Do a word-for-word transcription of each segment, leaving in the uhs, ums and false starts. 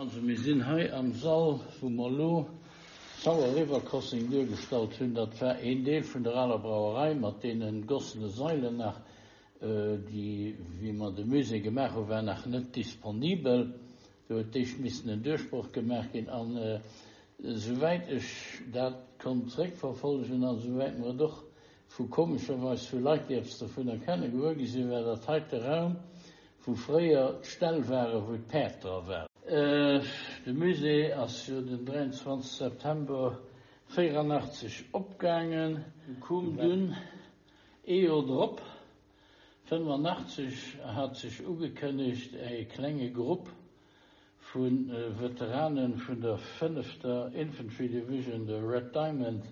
Also mir sinn hei am Sall, wou mer elo d'Sauer River Crossing duergestallt hunn. Dat war een Deel vun der aler Brauerei mat deene gossene Sailen nach, déi, wéi mer de Musée gemaach hunn, war nach net disponibel. Do huet d'éischt missen en Duerchbroch gemaach ginn. An esouwäit ech dat konnt zréckverfollegen an esouwäit mer et och vu komescherweis vu Leit, déi eppes dovunner kennen, gewuer gi sinn, war dat heite Raum, wou fréier d'Ställ waren, wou d'Päerd dra waren. De Musée ass jo den dräianzwanzeg September véierannachtzeg opgaangen, koum dunn ee Joer drop, fënnefannachtzeg, hat sech ugekënnegt e klenge Grupp vu Veterane vun der fënnefter Infantry Division, der Red Diamond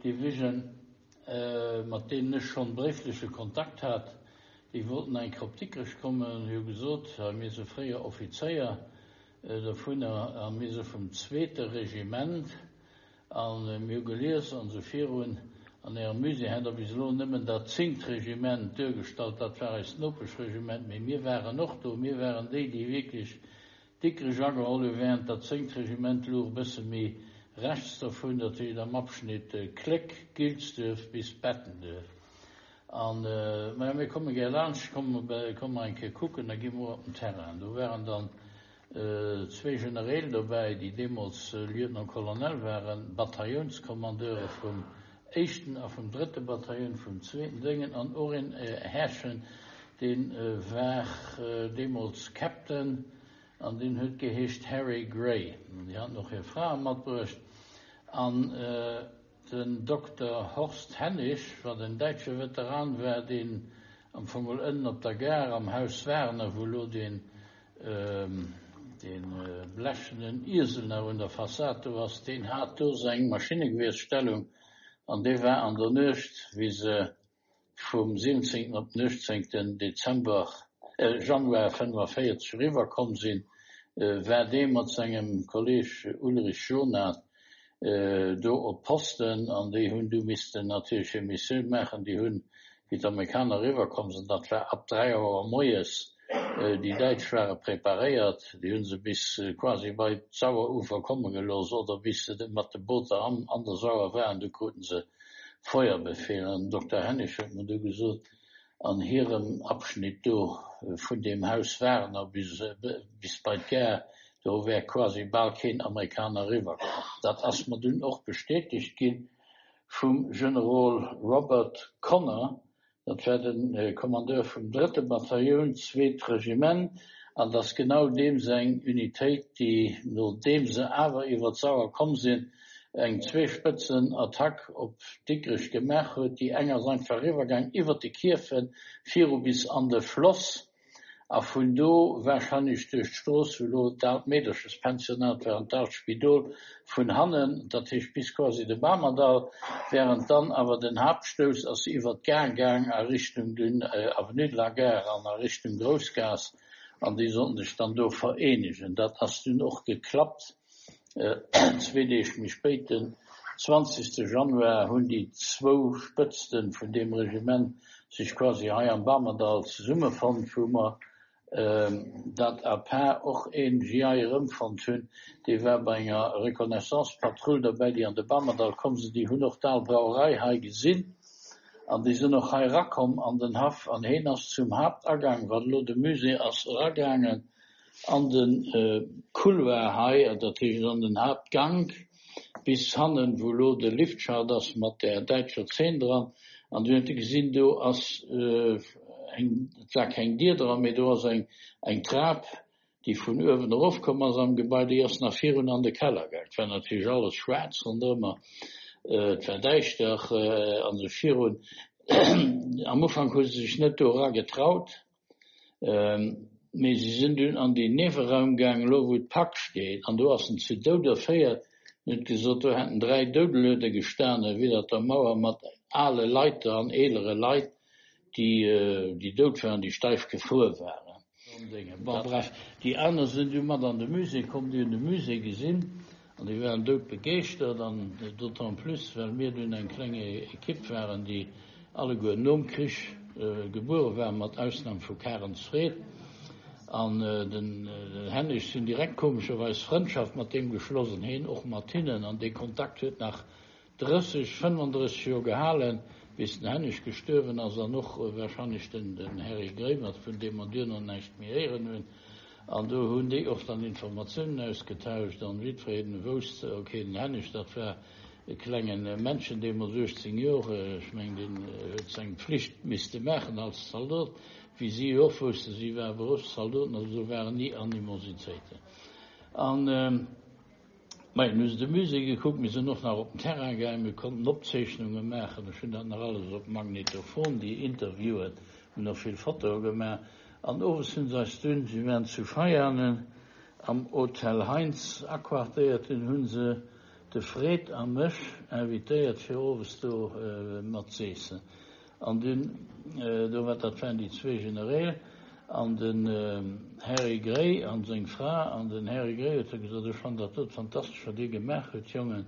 Division, mat deenen ech schonn bréifleche Kontakt hat, déi wollten eng Kéier op Dikrech kommen, hu gesot, hei mir si fréier Offizéier dovunner a mir si vum zweete Regiment a mir hu gelies an esou virun, an Ärem Musée hätt Der bis elo nëmmen dat zéngt Regiment duergestallt, dat war eist Nopeschregiment, mee mir waren och do, mir waren déi, déi wierklech Dikrech ageholl hu während dat zéngt Regiment louch e bësse méi rechts dovun, dat heescht am Abschnitt Kléck, Gilsduerf bis Bettenduerf. An, maja, mir komme gär laanscht, komme mer eng Kéier kucken, da gi mer och op den Terrain. Do waren dann zwee Genereel dobäi, déi deemools Lieutenant-Colonel waren, Bataillonskommandeure vum éischten a vum drëtte Bataillon, vum zweeten Déngen, an och een Härchen, dee war deemools Captain, An deen huet geheescht Harry Gray. An déi haten och hir Frae matbruecht. An den Dokter Horst Hennig, wat en däitsche Veteran war, deen am Fong mol ënnen op der Gare am Haus Werner, wou elo deen, dee blechenen Iesel nach un der Fassad do ass, deen hat do seng Maschinnegewiersstellung. An dee war an der Nuecht, wéi se vum siwwenzéngten op den uechtzéngten Dezember, Januar fënnefenvéierzeg eriwwer komm sinn, war dee mat sengem Kolleg Ulrich Jonath do op Posten an déi hunn du missten natierlech hir Missioun maachen. Déi hunn, wéi d'Amerikaner eriwwer komm sinn, dat war ab dräi Auer moies, déi Däitsch ware preparéiert, déi hu se bis quasi bei d'Sauerufer komme gelooss oder bis se mat de Booter an der Sauer waren, du kruten se Feuerbefehl. An den Dokter Hennig huet mer du gesot, an hirem Abschnitt do vun deem Haus Werner bis, bis bei d'Gare, do wär quasi bal keen Amerikaner eriwwerkomm. Dat ass mer dunn och bestätegt gi vum Generol Robert Connor, dat war de Kommandeur vum drëtte Batailloun, zweet Regiment, an et ass genau deem seng Unitéit, déi, nodeem se awer iwwer d'Sauer komm sinn, eng Zweespëtzen-Attack op Dikrech gemaach huet. Déi eng ass einfach eriwwergaang iwwer de Kierfen viru bis an de Floss a vun do warscheinlech duerch d'Strooss, wou elo d'aalt Meederchespensionat war an d'aalt Spidol vun hannen, dat heescht bis quasi de Bamerdall, während dann awer den Haaptstouss ass iwwer d'Gare gaang a Richtung dunn Avenue de la Gare an a Richtung Groussgaass an déi sollten sech dann do vereenegen. Dat ass dunn och geklappt. Zwee Deeg méi spéit, den zwanzegste Januar, hunn déi zwou Spëtzte vun deem Regiment sech quasi hei am Bamerdall zesummefonnt, wou mer dat à part och een G I erëmfonnt hunn, dee war bei enger Reconnaissance-Patrull derbäi, déi an de Bamerdall komm sinn. Déi hunn och d'al Brauerei hei gesinn an déi sinn och hei erakomm an den Haff an heen ass zum Haaptagang, wat elo de Musée ass, eragaangen. An de Couloir hei, dat heescht an den Haaptgank bis hannen, wou elo de Liftschacht ass mat där däitscher Zeen dran. An du huet e gesinn, do ass eng, et war keng Dier dran, mee do ass eng, eng Trap, déi vun uewen erofkomm ass am Gebai, déi ass nach virun an de Keller gaang. Et war natierlech alles schwaarz ronderëmmer, et war däischter an esou virun. Am Ufank hu se sech net do era getraut. Mee si sinn dunn an deen Nieweraum gaang, elo wou d'Pak steet, an do ass en zu Doud erféiert. En huet gesot, do hätten dräi Doudeluede gestane widder der Mauer mat ale Leiter an eelere Leit, déi, déi dout waren, déi steif gefruer waren. Bon, bref, déi aner sinn du mat an de Musée komm, déi hunn de Musée gesinn an déi waren doudbegeeschtert, an d'autant plus, well mir dunn eng kleng Equipe waren, déi alleguer nom Krich gebuere waren, mat Ausnam vu Karens Fred. An den Hennig sinn direkt komescherweis Frëndschaft mat deem geschloss an hien och mat hinnen, an dee Kontakt huet nach drësseg, fënnfandrësseg Joer gehalen, bis den Hennig gestuerwen ass an och wahrscheinlech den den Harry Grémert, vun deem mer duerno näischt méi héieren hunn. An do hunn déi och dann Informatiounen ausgetauscht an jiddwereen wousst, ok, den Hennig, dat war e klengen Männchen, deemools uechtzéng Joer, ech mengen, deen huet seng Pflicht misste maachen als Zaldot, wéi si jo och woussten, si ware Beruffszaldoten, also do waren ni Animositéiten. An, majo, mir hu se de Musée gekuckt, mir sinn och nach op den Terrain gaangen, mir konnten Opzeechnunge maachen, ech hunn dat nach alles op Magnetophon, déi Interviewen, hunn och vill Fotoe gemaach. An owes hunn se eis dunn, si waren zu Veianen am Hotel Heinz aquartéiert, dunn hu se de Fred a mech invitéiert fir owes do mat z'eessen. An dunn, do war, dat waren déi zwee Genereel an den Harry Gray an seng Fra, an den Harry Gray huet da gesot, ech fannen dat dot fantastesch wat dir gemaach hutt, Jongen,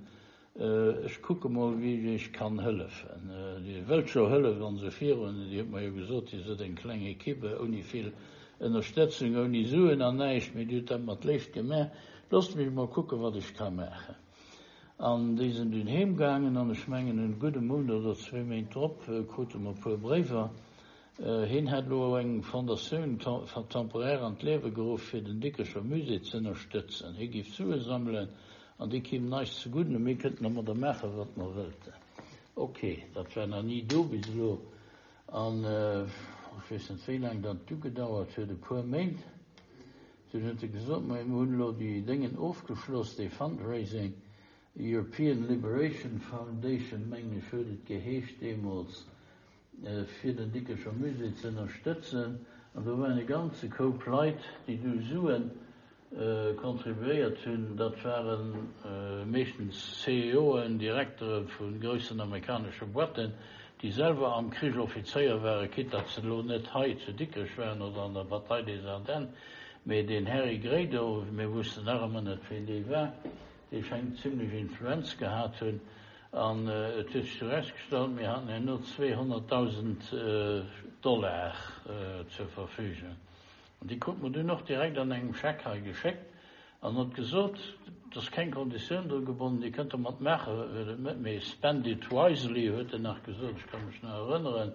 ech kucke mol wéi ech iech kann hëllefen. Dir wëllt jo hëllef an esou virun. Dir hutt mer jo gesot, dir sidd eng kleng Equipe ouni vill Ënnerstëtzung, ouni Suen an näischt, mee dir hutt dat mat Léift gemaach, loosst mech mol kucke wat ech ka maachen. An déi sinn dunn heem gaangen an ech mengen en gudde Mount oder zwee Méint drop krute mer e puer Bréiwer. Hien hätt elo eng Fondatioun temporaire an d'Liewe geruff fir den Dikrecher Musée z'ënnerstëtzen. Hie géif Sue sammelen an déi kéimen eis zegudden a mir kënnten domadder maachen, wat mer wëllten. Ok, dat war nach ni do bis elo an ech weess net wéi laang dat du gedauert huet, e puer Méint. Dunn huet e gesot, Majo, mir hunn elo déi Déngen ofgeschloss, dee Fundraising, European Liberation Foundation, mengen ech huet et geheescht deemools, fir den Dikrecher Musée ze ënnerstëtzen. An do waren e ganze Koup Leit, déi du Sue contribuéiert hunn. Dat ware meeschtens C E Oen, Direktere vu groussen amerikanesche Boîten, déi selwer am Krich Offizéier waren, quitte datt se elo net hei zu Dikrech waren oder an der Bataille des Ardennes. Mee deen Harry Gray do, mir wussten nach ëmmer net, wien dee war, dee schéngt zimlech Influenz gehat hunn. An et huet sech erausgestallt, mir haten herno zweehonnertdausend Dollar zur Verfügung. An déi krute mer dunn och direkt an engem Scheck hei geschéckt an huet gesot, et ass keng Konditioun dru gebonnen, Dir kënnt domat maache wat Der wëllt, mee spend it wisely, huet en nach gesot, ech ka mech nach erënneren,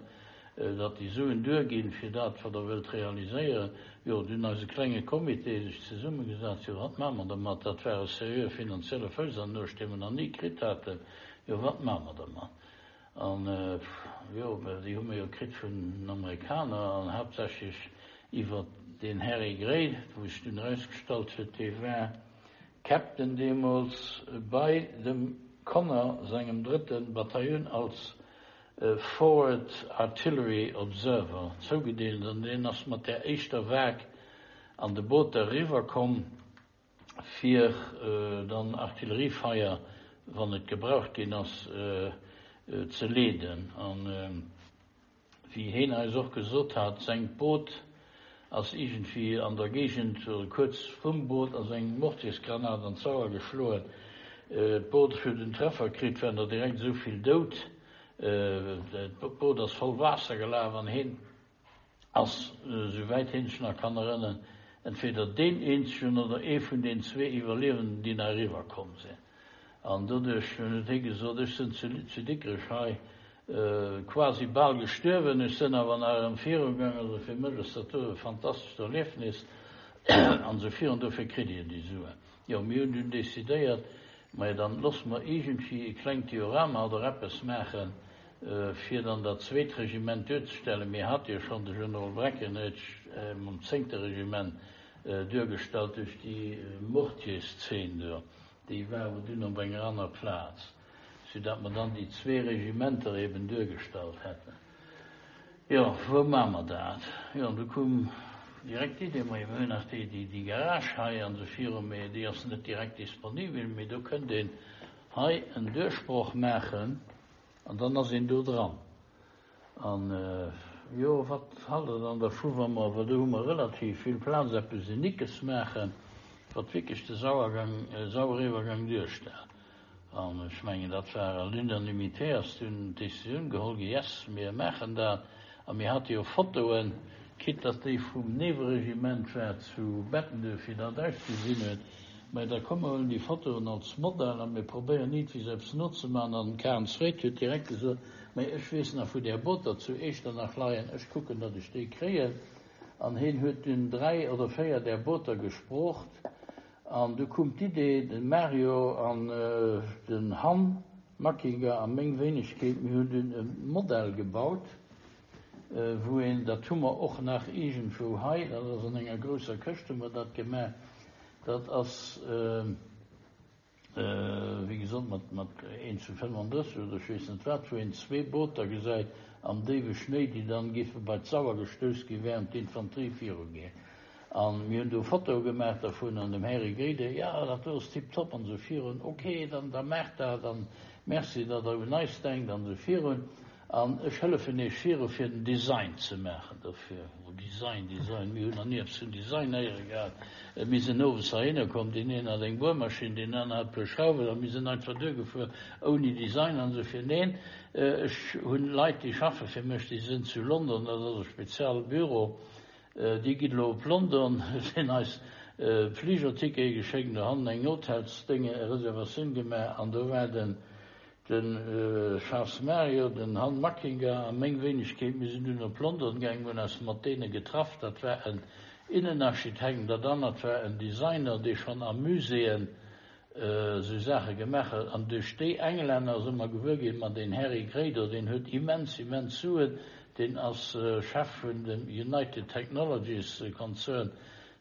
datt déi Suen duerginn, fir dat, wat Der wëllt realiséieren. Jo, dunn eise klenge Comité sech zesummegesat, jo, wat maache mer dermat? Dat war e seriöe finanzielle Fouss an d'Nuecht, dee mer nach ni kritt haten. Jo, wat maache mer dermat? An, jo, déi hu mer jo kritt vun den Amerikaner an haaptsächlech iwwer deen Harry Gray, wou sech dunn erausgestallt huet, dee war Captain deemools bei dem Connor sengem drëtte Bataillon als Forward Artillery Observer zougedeelt an deen ass mat där éischter Vague an de Booter eriwwer komm, fir dann Artilleriefeier, wann et gebraucht ginn ass, ze leeden. An wéi heen eis och gesot hat, sengt Boot ass iergendwéi an der Géigend oder kuerz vrum Boot ass eng Mortiersgranat an d'Sauer geschloen. D'Boot huet en Treffer kritt, waren der direkt esou vill dout. D'Boot ass voll Waasser gelaf an heen ass, esou wäit heen sech nach kann erënneren, entweder deen eenzegen oder ee vun den zwee Iwwerliewenden, déi nach eriwwer komm sinn. An doduerch huet hie gesot, Ech sinn zu Dikrech hei quasi bal gestuerwen, ech sinn awer nach erëm virugaangen, also fir mech ass dat do e fantastescht Erliefnis an esou virun, dofir kritt Dir déi Suen. Jo, mir hunn dunn decidéiert, majo dann loosse mer iergendwéi e klengt Diorama oder eppes maachen, fir dann dat zweet Regiment duerzestellen. Mir hate jo schonn de Generol Breckinridge mam zéngte Regiment duergestallt duerch déi Mortierszeen do. Déi war awer dunn op enger aner Plaz, soudatt mer dann déi zwee Regimenter eben duergestallt hätten. Jo, wou maache mer dat? Jo, an du koum direkt d'Idee, majo, mir hunn nach déi, déi Garage hei an esou virun, mee déi ass net direkt disponibel, mee do kënnt een hei en Duerchbroch maachen an dann ass een do dran. An, jo, wat halt Der dann dervu, wa mer, well do hu mer relativ vill Plaz, eppes Uniques maachen, wat wierklech de Sauergang, Saueriwwergang duerstellt? An ech mengen, dat war à l'unanimité ass dunn d'Décisioun geholl gi, Yes, mir maachen dat. A mir hate jo Fotoen, Quitte datt déi vum Nieweregiment war zu Bettenduerf, wéi dat ausgesinn huet. Mä da komm mer huelen déi Fotoen als Modell a mir probéieren iergendwéi se eppes nozemaachen. An den Karen Zweet huet direkt gesot, Mä ech weess nach wou där Booter zu Echternach leien, ech kucken, datt ech déi kréien. An hien huet dunn dräi oder véier där Booter gesproocht. An du koum d'Idee, de Mario an den Han Mackinger a meng Wéinegkeet, mir hunn dunn e Modell gebaut, wou een, dat hu mer och nach iergendwou hei, dat ass an enger grousser Këscht hu mer dat gemaach, dat ass, wéi gesot, mat, mat een zu fënnfandrësseg oder ech weess net wat, wou een zwee Booter gesäit am déiwe Schnéi, déi dann géife bei d'Sauer gestouss gi während d'Infanterie virugeet. A mir hunn do Fotoe gemaach dervun an dem Här Grede, jo, dat do ass tiptop an esou virun, ok, dann da maacht dat an merci, datt Der un eis denkt an esou virun an ech hëllefen Iech viru fir den Design ze maachen dofir. Oh, Design, Design, mir hunn nach ni eppes vun Design héiere gehat. Mir sinn owes heihinner komm, deen een hat eng Buermaschinn, deen aner hat e puer Schrauwen a mir sinn einfach duergefuer ouni Design an esou vir. Neen, ech hunn Leit, déi schaffe fir mech, déi sinn zu London, dat ass e Spezialbüro, Dir gitt elo op London, sinn eis Fligertickete geschéckt, do hannen eng Hotelsdénge Reservatioun gemaach an do war den de Charles Mario, den Han Mackinger a meng Wéinegkeet. Mir sinn dunn op London gaangen, hunn eis mat deene getraff. Dat war en Innenarchitekt an dat anert war en Designer, dee schonn a Muséeën esou Saache gemaach huet. An duerch déi Englänner si mer gewuer ginn, ma deen Harry Grado, deen huet immens, immens Suen, deen ass Chef vun dem United Technologies Konzern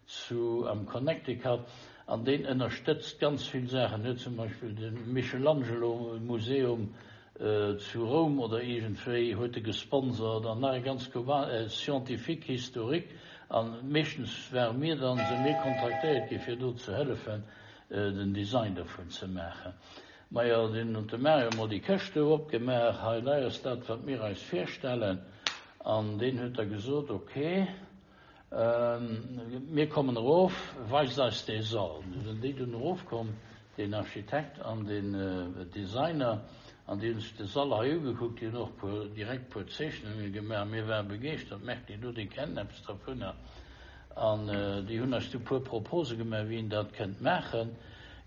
zu am Connecticut an deen ënnerstëtzt ganz vill Saachen, huet zum Beispill de Michelangelo Museum zu Roum oder iergendwéi huet e gesponsert an nach e ganz Scientifique historique an meeschtens ware mir dann, si mir kontraktéiert gi fir do ze hëllefen den Design dovun ze maachen. Majo, dunn huet de Mario emol déi Këscht do opgemaach, hei lei ass dat wat mir eis virstellen an deen huet da gesot, ok, mir kommen erof, weist eis dee Sall. Du sinn déi dunn erofkomm, deen Architekt an deen Designer, an déi hunn sech de Sall hei ugekuckt, déi hunn och puer, direkt puer Zeechnunge gemaach, mir ware begeeschtert, merkt Dir do, déi kennen eppes dervunner. An déi hunn eis du puer Propose gemaach, wéi een dat kënnt maachen.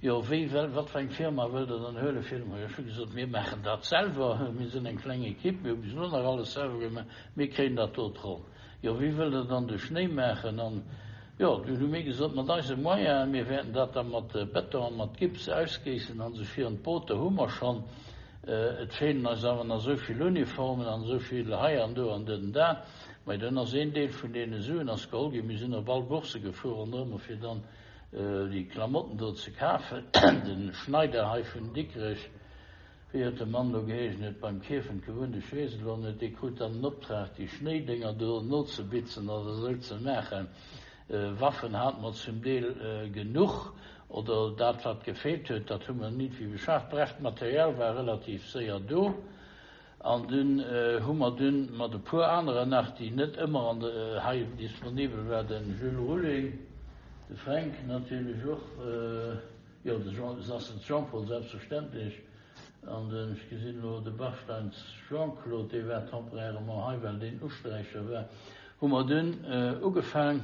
Jo, wéi well, wat fir eng Firma wëllt Der dann huele fir de Projet? Ech hu gesot, mir maachen dat selwer, mir sinn eng kleng Equipe, mir hu bis elo nach alles selwer gemaach, mir kréien dat do ronn. Jo, wéi wëllt Der dann de Schnéi maachen? An jo, dunn hu mir gesot, mat eise Moyenen, mir wäerten dat da mat Beton a mat Gips ausgéissen an esou virun. D'Booter hu mer schonn, et feelen eis awer nach esou vill Uniformen an esou vill hei an do an dënn dat. Mä dunn ass een Deel vun deene Suen ass geholl ginn. Mir sinn op all Bourse gefuer ronderëm fir dann déi Klamotten do ze kafen. De Schneider hei vun Dikrech, wéi huet de Mann do geheeschen, huet beim Kierfent gewunnt, ech weess et elo net, dee krut dann den Optrag déi Schnéidénger do nozebitzen oder esou ze maachen. Waffen hate mer zum Deel genuch, oder dat wat gefeelt huet, dat hu mer nit wéi beschaaft. Bref, d'Material war relativ séier do. An dunn hu mer dunn mat e puer aneren nach, déi net ëmmer an de hei disponibel war, de Jules Rulling, de Fränk natierlech och, jo, de Jean, Sassens Jean-Paul selbstverständlech, an den, ech gesinn elo de Bachsteins Jean-Claude, dee war temporairement hei, well deen Usträicher war, hu mer dunn ugefaang,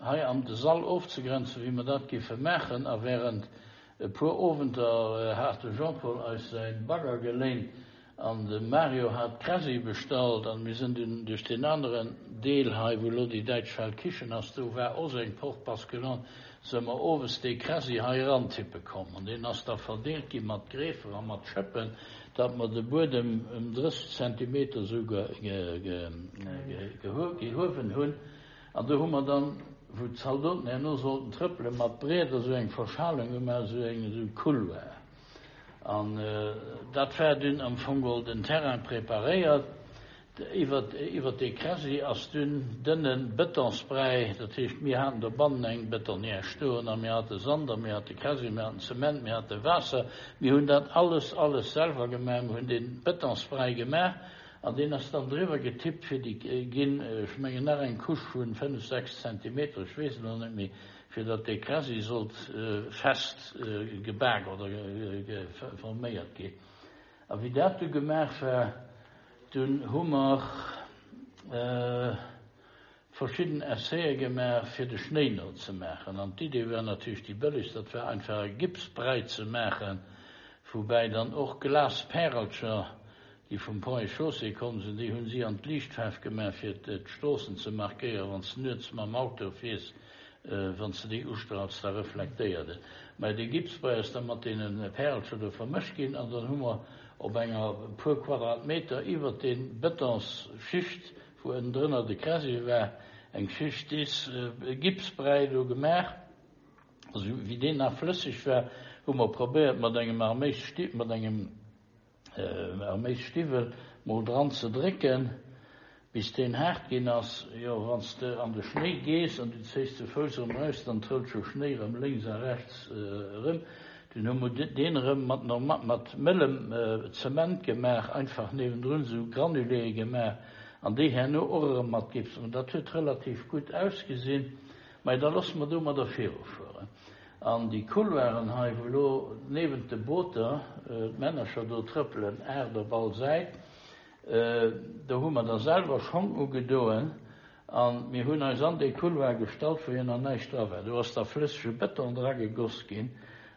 hei am de Sall ofzegrenzen, wéi mer dat géife maachen. A während e puer Owenter hat de Jean-Paul eis säi Bagger geléint, An de Mario hat Kräsi bestallt an mir sinn dunn duerch deen aneren Deel hei, wou elo déi däitsch Feldkichen ass, do war och sou eng Porte basculante, së mer owes dee Kräsi hei eran tippe komm. An deen ass da verdeelt gi mat Greefer a mat Schëppen, datt mer de Buedem ëm drësseg Zentimeter sou gehuewen hunn. An do hu mer dann, wou d'Zaldoten herno sollten trëppelen, mat Brieder sou eng Verschalung gemaach, sou eng, sou e Couloir. An dat war dunn am Fong geholl den Terrain preparéiert. Iwwer iwwer dee Kräsi ass dunn dënne Betonsbräi, dat heescht mir haten dobannen eng Betonière stoen a mir hate Sand a mir hate Kräsi, mir haten Zement, mir hate Waasser. Mir hunn dat alles, alles selwer gemaach. Mir hunn dee Betonsbräi gemaach an deen ass dann driwwer getippt fir déi ginn, ech mengen nach eng Couche vu fënnef, sechs Zentimeter, ech weess et elo net méi, fir datt dee Kräsi sollt fest gebak oder forméiert ginn. A wéi dat du gemaach war, dunn hu mer, verschidden Essaie gemaach, fir de Schnéi nozemaachen. An d'Idee war natierlech déi bëllegst, dat war einfach e Gipsbräi ze maachen, woubäi dann och Glaspärelcher, déi vum Pont et Chaussée komm sinn, déi hunn si an d'Liichtfaarf gemaach, fir d'Stroossen ze markéieren, wann s de nuets mam Auto fiers, wann s de déi ustrahls, da reflektéiert et. Mä dee Gipsbräi ass da mat deene Pärelcher do vermëscht ginn an dann hu mer op enger e puer Quadratmeter iwwert dee Bëtonsschicht, wou ënnendrënner de Crassier war, eng Schicht dees Gipsbräi do gemaach. Also wéi deen nach flësseg war, hu mer probéiert mat engem Arméissti-, mat engem Arméisstiwwel mol dran ze drécken, bis deen haart ginn ass. Jo, wann s de an de Schnéi gees an du zéis de Fouss erëm eraus, dann trëllt scho Schnéi erëm lénks a rechts erëm. Dunn hu mer deen erëm mat norma-, mat mëllem Zement gemaach, einfach niewendrun esou Granuléë gemaach an déi herno och erëm mat Gips. An dat huet relativ gutt ausgesinn. Mä da loosse mer domadder virufueren. An déi Couloiren hei, wou elo niewent de Booter d'Männercher do trëppelen, aacht op all Säit, do hu mer da selwer Schong ugedoen a mir hunn eis an dee Couloir gestallt, wou jo nach näischt dra war. Do ass da flëssege Bëton dragegoss ginn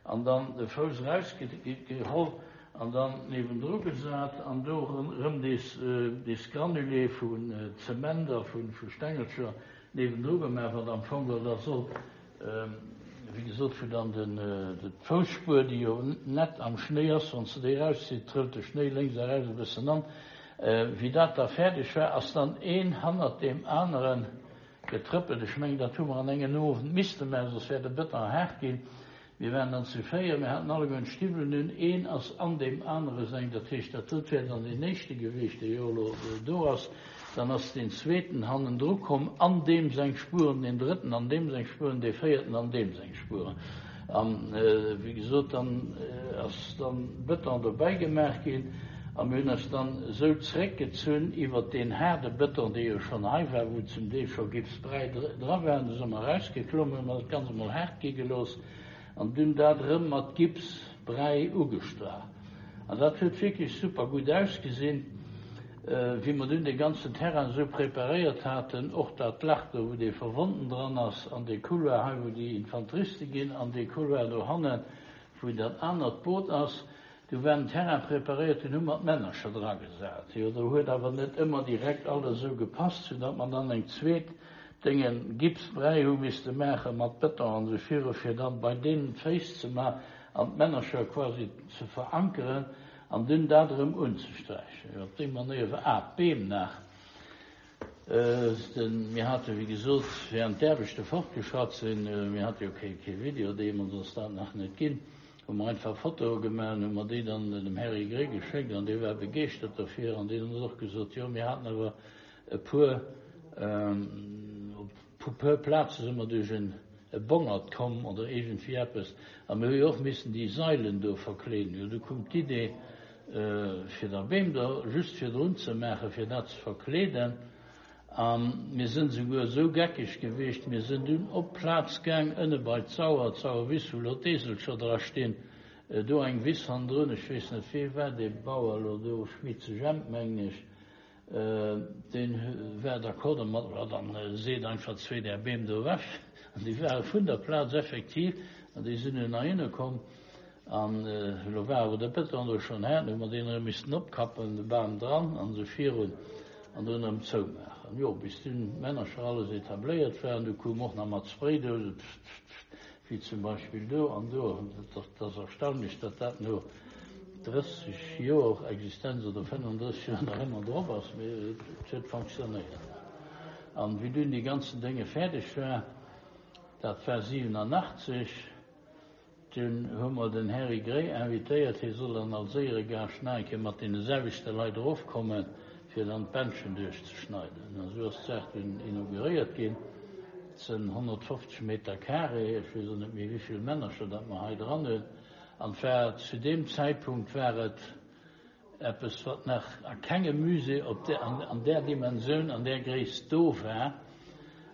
an dann de Fouss erausgeholl an dann niewendru gesat an do erëm dees, dees Granulé vun Zement a vu Stengelcher niewendru gemaach, wat am Fong geholl da soll, wéi gesot, wou dann den, d'Foussspuer, déi jo net am Schnéi ass, wann s de déi erauszitt, trëllt de Schnéi lénks a rechts e bëssen an. Wéi dat da fäerdeg war, ass dann een hannert deem anere getrëppelt. Ech mengen, dat hu mer an engem Owend misste maachen, soss wär de Bëton haart ginn. Mir waren dann zu véier, mir haten alleguerten d'Stiwwelen un, een ass an deem anere seng, dat heescht, dat dot wär dann deen éischte gewiescht, dee jo elo do ass, dann ass deen zweeten hannendru komm, an deem seng Spueren, deen drëtten an deem seng Spueren, dee véierten an deem seng Spueren. An, wéi gesot, dann ass dann Bëton dobäi gemaach ginn a mir hunn eis dann esou zréckgezunn iwwert deen haarde Bëton, dee jo schonn hei war, wou zum Deel scho Gipsbräi dra war, an du si mer erausgeklommen, hu mer dat Ganzt emol haart gi gelooss. An dunn dat erëm mat Gipsbräi ugestrach. An dat huet wierklech super gutt ausgesinn, wéi mer dunn dee ganzen Terrain esou preparéiert haten, och dat Lach do, wou dee Verwonnten dran ass, an dee Couloir hei, wou déi Infanteriste ginn, an dee Couloir dohannen, wou dat anert Boot ass. Du war den Terrain preparéiert, dunn hu mer d'Männercher dragesat. Jo, do huet awer net ëmmer direkt alles esou gepasst, soudatt mer dann eng zweet Déngen Gipsbräi hu misste maache mat Bëton an esou viru fir dann bei deenen d'Féiss ze man an d'Männercher quasi ze verankeren an dunn dat erëm unzesträichen. Jo, op déi Manéier war, ah, d'Beem nach, den, mir hate wéi gesot, während d'Aarbechte fortgeschratt sinn, mir hate jo kee, kee Video deemools, ass dat nach net ginn, hu mer einfach Fotoe gemaach an hu mer déi dann dem Herri Gray geschéckt an dee war begeeschtert derfir an deen huet och gesot, jo, mir haten awer e puer, Op e puer Plaze si mer duerch e Bongert komm oder iergendwéi eppes. A mir hu jo och missen déi Sailen do verkleeden. Jo, du koum d'Idee, fir da Beem do just virdrun ze maachen, fir dat ze verkleeden. A mir sinn esouguer esou geckeg gewiescht, mir sinn dunn op d'Plaz gaang, ënne bei d'Sauer, d'Sauerwiss, wou elo d'Eeselcher dra stinn, do eng Wiss hannendrun, ech weess net, wee war dee Bauer elo do, Schmitze Jemp, mengen ech, Deen war d'accord domat, ma dann seet einfach zwee där Beem do ewech. An déi ware vun der Plaz effektiv, an déi sinn dunn heihinne komm. An elo war awer de Bëton do schonn haart, hu mer deen erëm missten opkappen, de Bam dran an esou virun, an dunn erëm zoumaachen. Jo, bis dunn d'Männercher alles etabléiert waren, du koum och nach mat Spraydousen, pft, pft, pft, wéi zum Beispill do an do. Dat ass erstaunlech, datt dat no drësseg Joer Existenz oder fënnefandrësseg Joer nach ëmmer drop ass, mee et huet fonctionnéiert. An wéi dunn déi ganzen Dénge fäerdeg war, dat war siwenanachtzeg, dunn hu mer den Herri Gray invitéiert, hie soll dann als Éieregaascht nach eng Kéier mat deene selwechte Leit erofkommen, fir dann d'Bändchen duerchzeschneiden. An esou ass d'Saach dunn inauguréiert ginn. Et sënn honnertfofzeg Meter carré, ech weess och net méi wéivill Männercher dat mer hei dran hunn. An et war zu deem Zäitpunkt war et eppes, wat nach a kengem Musée op där, an där Dimensioun, an där Gréisst do war.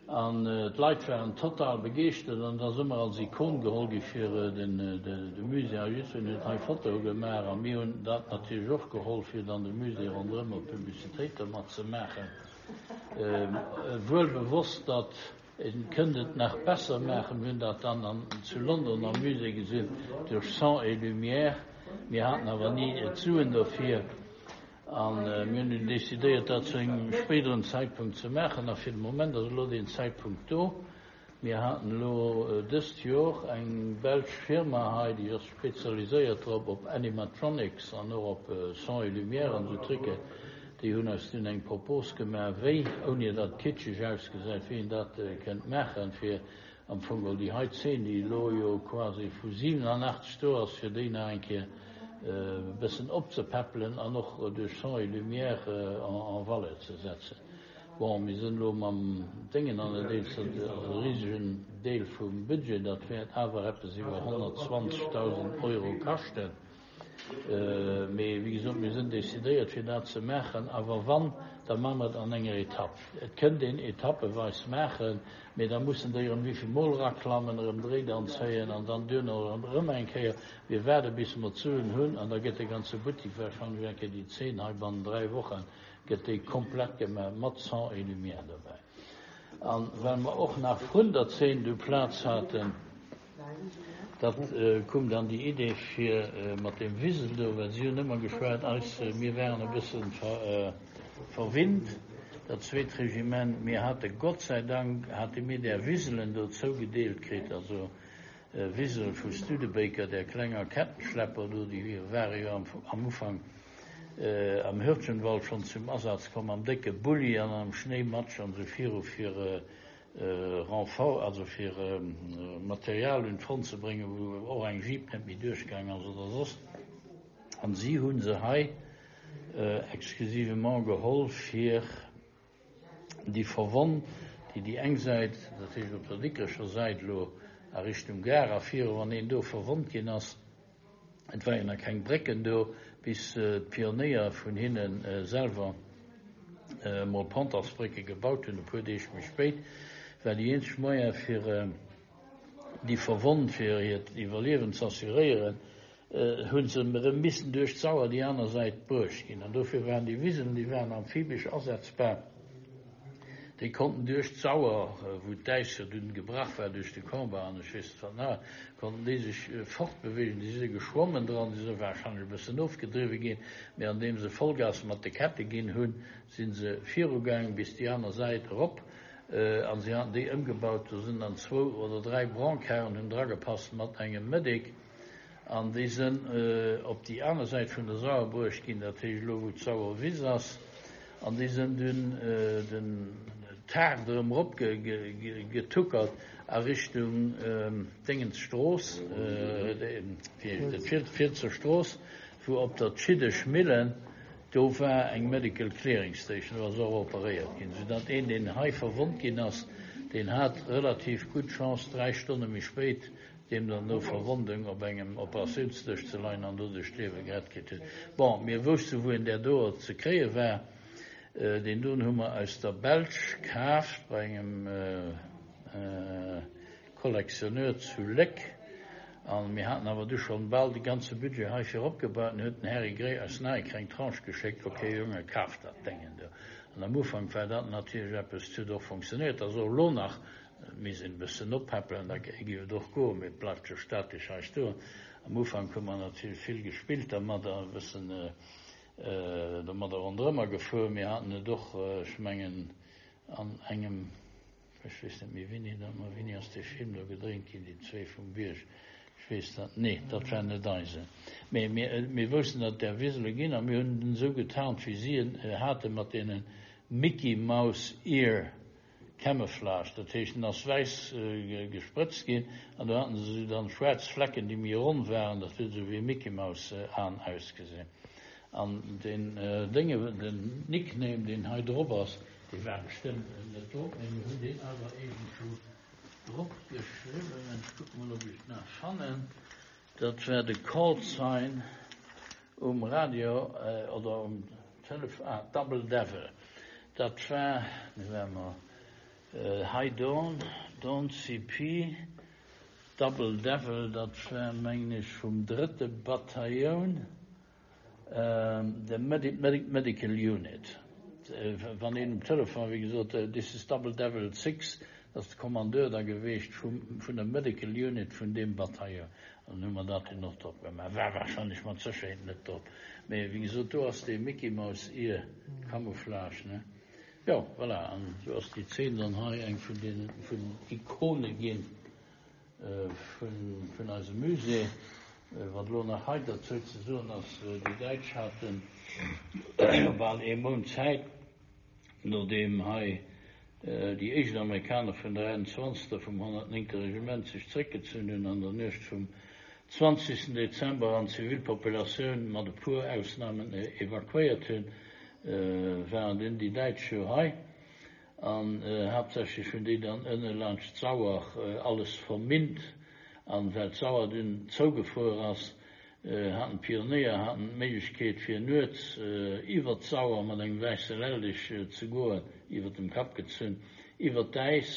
An d'Leit waren total begeeschtert an et ass ëmmer als Ikon geholl gi fir den, de Musée. A jiddwereen huet hei Fotoe gemaach a mir hunn dat natierlech och geholl, fir dann de Musée ronderëm och Publicitéit dermat ze maachen. Wuel bewosst, datt ee kënnt et nach besser maachen, mir hunn dat dann an zu London am Musée gesinn, duerch Son et Lumière. Mir haten awer ni d'Suen dofir a mir hunn dunn decidéiert, dat zu engem spéideren Zäitpunkt ze maachen. A fir de Moment ass elo deen Zäitpunkt do. Mir haten elo dëst Jor eng belsch Firma hei, déi ass spezialiséiert drop, op Animatronics an och op Son et Lumière an esou Trucken. Déi hunn eis dunn eng Propos gemaach, wéi, ouni datt et kitscheg ausgesäit, wéi een dat kënnt maachen, fir am Fong geholl déi hei Zeen, déi elo jo quasi vu siwenanachtzeg do ass, fir déi nach eng Kéier e bëssen opzepäppelen an och duerch Son et Lumière en valeur ze setzen. Bon, mir sinn elo mam Déngen an der Deels, dat ass e risegen Deel vum Budget, dat wäert awer eppes iwwer honnertzwanzegdausend Euro kaschten. Mee wéi gesot, mir sinn decidéiert fir dat ze maachen, awer wann, da maache mer et an enger Etapp. Et kënnt een etappeweis maachen, mee da mussen déi erëm wéivill Mol eraklammen, erëm d'Réit anzéien an dann duerno erëm eng Kéier. Mir waarde bis mer d'Suen hunn an da gëtt de ganze Buttek warscheinlech eng Kéier déi Zeen hei bannen dräi Wochen gëtt déi komplett gemaach mat Son et Lumière dobäi. An well mer och nach vrun der Zeen du Plaz haten, dat koum dann déi Idee fir mat deem Wisel do, well si hunn ëmmer geschwat, eis, mir waren e bësse verwinnt, dat zweet Regiment, mir hate Gott sei Dank hate mir där Wiselen do zougedeelt kritt, also Wisel vu Studebaker, där klenger Kettenschlepper do, déi ware jo am Ufank am Hürtgenwald schonn zum Asaz komm, am décke Bulli an am Schnéimatsch an esou viru fir Renfort, also fir Material un d'Front ze bréngen, wou och eng Jeep net méi duerchgaang ass oder soss. An si hu se hei exclusivement geholl fir déi Verwonn, déi déi eng Säit, dat heescht op der Dikrecher Säit elo a Richtung Gare a viru, wann een do verwonnt ginn ass, Et war jo nach keng Brécken do, bis d'Pionéier vun hinne selwer emol Pontonsbrécke gebaut hunn, e puer Deeg méi spéit, war déi eenzeg Moyen fir déi Verwonnt, fir hiert Iwwerliewen z'assuréieren, hu se erëm missen duerch d'Sauer déi aner Säit bruecht ginn. An dofir waren déi Wisen, déi waren amphibesch asetzbar. Déi konnten duerch d'Sauer, wou d'Äis jo dunn gebrach war duerch de Combat an ech weess net wat nach, konnten déi sech fortbeweegen. Déi si geschwommen dran, déi si warscheinlech e bëssen ofgedriwwe ginn, mee andeem se Vollgas mat de Kette ginn hunn, si se virugaangen bis déi aner Säit erop. A si haten déi ëmgebaut, do sinn dann zwou oder dräi Brancarden hunn dragepasst mat engem Medic. An déi sënn op déi aner Säit vun der Sauer bruecht ginn, dat heescht elo wou d'Sauer Wiss ass, an déi sënn dunn den Taart erëm erop getuckert a Richtung Déngens Strooss, wéi heescht dat, Fielsser Strooss, wou op der Tschiddesch Millen, do war eng Medical Clearing Station, do ass och operéiert ginn, soudatt een, deen hei verwonnt ginn ass, deen hat relativ gutt Chance, dräi Stonne méi spéit deem dann no Verwondung op engem Operatiounsdësch ze leien an doduerch d'Liewe gerett kritt huet. Bon, mir wousste wou een där doer ze kréie war. Deen doen hu mer aus der Belsch kaaft bei engem Collectionneur zu Léck. A mir haten awer du schonn bal de ganze Budget heifir opgebaut. An huet den Härry Gray eis nach eng kleng Tranche geschéckt, Ok Jonge, kaf dat Déngen do. An am Ufank war dat natierlech eppes, et huet och funktionéiert, ass och elo nach. Et misst een e bëssen oppäppelen, da géif et och goen, mee et bleift jo statesch hei stoen. Am Ufank hu mer natierlech vill gespillt dermadder, e bëssen domadder ronderëmmer gefuer. Mir haten et och, ech mengen, an engem, ech weess net méi wéini dat war, wéini ass dee Film do gedréint ginn, déi zwee vum Bierg, ech weess dat, nee, dat war net eisen. Mee mir woussten, datt et där Wisele ginn a mir hunn en esou getarnt, wéi si en haten, mat deene Mickey Mouse Ear Camouflage, dat heescht en ass wäiss gesprëtzt ginn an do haten se esou dann schwaarz Flecken déi méi ronn waren, dat huet esou wéi Mickey Mouse Aen ausgesinn. An deen Dénge, den Nickname deen hei drop ass, dee war bestëmmt net drop, mee mir hunn deen awer iergendwou drop geschriwwen, ech kucke mol ob ech et nach fannen, dat war de Call Sign um Radio oder um Telefon, ah Double Devil. Dat war, nu ware mer hei, Dawn, Dawn C P, Double Devil, dat war, mengen ech, vum drëtte Batailloun, de Medical Unit. Wann een um Telefon, wéi gesot, this is Double Devil Six, dat ass de Kommandeur da geweecht vum, vun der Medical Unit vun deem Bataillon. An hu mer dat dunn och drop gemaach. War wahrscheinlech mat Sécherheet net drop. Mee wéi gesot, do ass dee Mickey Mouse Ear Camouflage, ne? Jo, voilà, an esou ass déi Zeen dann hei eng vun deenen, vun den Ikone ginn vun, vun eisem Musée. Wat elo nach hei derzou ze soen ass, déi Däitsch haten jo bal ee Mount Zäit, nodeem hei déi éischt Amerikaner vun der einundzwanzegster vum honnertnéngte Regiment sech zréckgezunn hunn an der Nuecht vum zwanzegsten Dezember an d'Zivilpopulatioun mat e puer Ausnamen evakuéiert hunn, waren dunn déi Däitsch jo hei an haaptsächlech hunn déi dann ënne laanscht d'Sauer alles verminnt. An well d'Sauer dunn zougefruer ass, haten d'Pionéier haten d'Méiglechkeet fir nuets iwwer d'Sauer mat engem wäisse Leldeg ze goen, iwwer dem Kapp gezunn, iwwer d'Äis,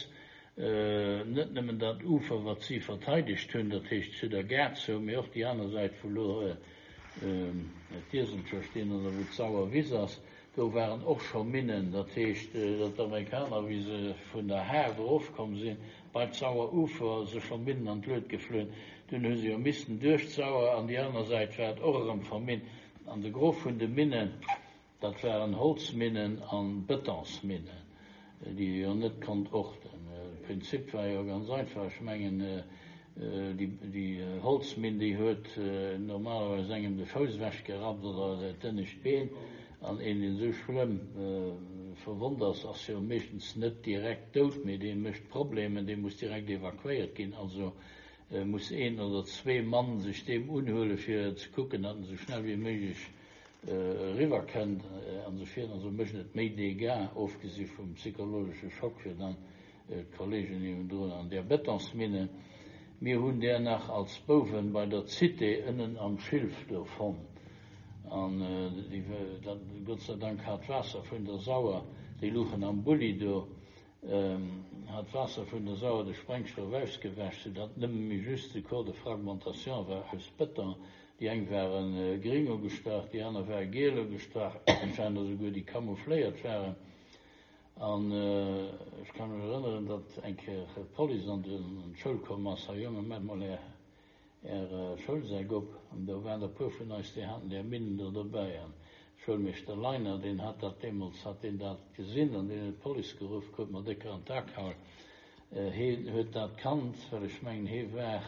net nëmmen dat Ufer wat si verteidegt hunn, dat heescht zu der Gare zou, mee och déi aner Säit wou elo d'Ieselcher stinn oder wou d'Sauer Wiss ass. Do waren och scho Minnen, dat heescht, datt d'Amerikaner, wéi se vun der Haard erofkomm sinn, bei d'Sauer Ufer sech scho Minnen an d'Lued geflunn. Dunn hu se jo missten duerch d'Sauer, an déi aner Säit war et och erëm verminnt. An de Gros vun de Minnen, dat waren Holzminnen a Betonsminnen, déi ee jo net konnt orten. De Prinzip war jo ganz einfach, ech mengen, Déi Holzminn, déi huet normalerweis engem de Fouss ewechgerappt oder d'ënnescht Been. An een, deen esou schlëmm verwonnt ass, ass jo meeschtens net direkt dout, mee dee mécht Problemen, dee muss direkt evakuéiert ginn. Also muss een oder zwee Mann sech deem unhuelen, fir ze kucken, datt en esou schnell wéi méiglech eriwwer kënnt an esou virun. Also mécht et méi Dégâts, ofgesi vum psychologesche Schock fir dann d'Kollegen niewendrun an där Betonsmine. Mir hunn där nach als Bouwen bei der Cité ënnen am Schilf do fonnt. An déi, dat, Gott sei Dank hat d'Waasser vun der Sauer, déi luchen am Bulli do, hat d'Waasser vun der Sauer de Sprengstoff ausgewäsch, soudatt nëmme méi just de Corps de fragmentation war aus Beton. Déi eng ware gring ugestrach, déi aner ware giel ugestrach, et waren der souguer, déi camoufléiert waren. An ech ka mech erënneren, datt eng Kéier d'Police an d'Schoul komm ass, Här Jongen, maacht mol Är, Är Schoulsäck op. An do waren der e puer vun eis, déi haten där Minnen do dobäi. An de Schoulmeeschter Leiner, deen hat dat deemools, hat deen dat gesinn an deen huet d'Police geruff, krut mer décker an d'A gehauen. Heen huet dat kannt, well ech mengen, hee war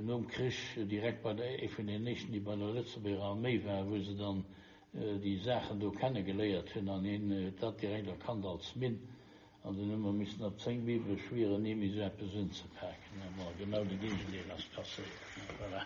nom Krich direkt bei der, ee vun den éischten, déi bei der Lëtzebuerger Arméi waren, wou se dann déi Saachen do kenne geléiert hunn, an hien huet dat direkt erkannt als Minn, an dunn hu mer missen op zéng Bibele schwieren, ni méi esou eppes unzepaken. Bon, genau de Géigendeel ass passéiert, voilà.